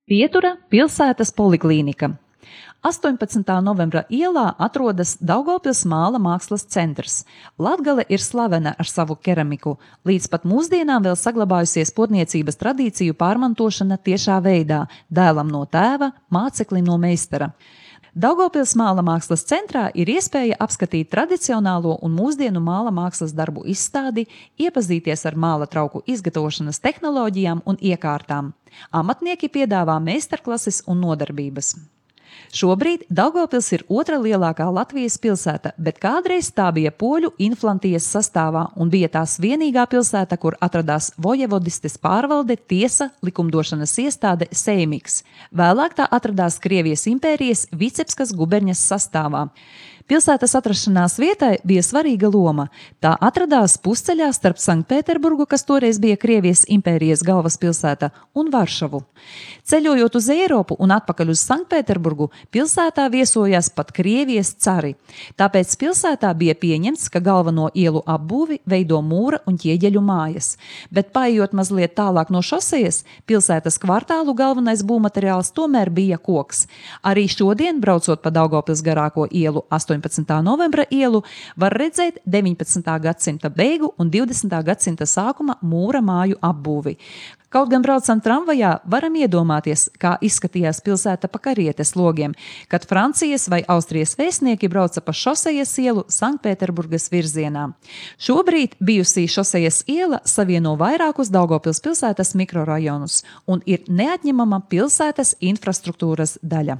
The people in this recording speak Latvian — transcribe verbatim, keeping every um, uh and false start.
Pietura pilsētas poliklīnika. astoņpadsmitā novembra ielā atrodas Daugavpils Māla mākslas centrs. Latgale ir slavena ar savu keramiku. Līdz pat mūsdienām vēl saglabājusies potniecības tradīciju pārmantošana tiešā veidā, dēlam no tēva, māceklim no meistara. Daugavpils Māla mākslas centrā ir iespēja apskatīt tradicionālo un mūsdienu māla mākslas darbu izstādi, iepazīties ar māla trauku izgatavošanas tehnoloģijām un iekārtām. Amatnieki piedāvā meistarklases un nodarbības. Šobrīd Daugavpils ir otra lielākā Latvijas pilsēta, bet kādreiz tā bija poļu inflantijas sastāvā un bija tās vienīgā pilsēta, kur atradās vojevodistes pārvalde, tiesa, likumdošanas iestāde Seimiks. Vēlāk tā atradās Krievijas impērijas Vicebskas guberņas sastāvā. Pilsētas atrašanās vietai bija svarīga loma. Tā atradās pusceļā starp Sanktpēterburgu, kas toreiz bija Krievijas impērijas galvaspilsēta, un Varšavu. Ceļojot uz Eiropu un atpakaļ uz Sanktpēterburgu, pilsētā viesojās pat Krievijas cari. Tāpēc pilsētā bija pieņemts, ka galveno ielu apbūvi veido mūra un ķieģeļu mājas. Bet paejot mazliet tālāk no šosejas, pilsētas kvartālu galvenais būvmateriāls tomēr bija koks. Arī šodien, braucot pa Daugavpils garāko ielu astoņpadsmitā novembra ielu, var redzēt deviņpadsmitā gadsimta beigu un divdesmitā gadsimta sākuma mūra māju apbūvi. Kaut gan braucam tramvajā, varam iedomāties, kā izskatījās pilsēta pa karietes logiem, kad Francijas vai Austrijas vēstnieki brauca pa šosejas ielu Sanktpēterburgas virzienā. Šobrīd bijusī šosejas iela savieno vairākus Daugavpils pilsētas mikrorajonus un ir neatņemama pilsētas infrastruktūras daļa.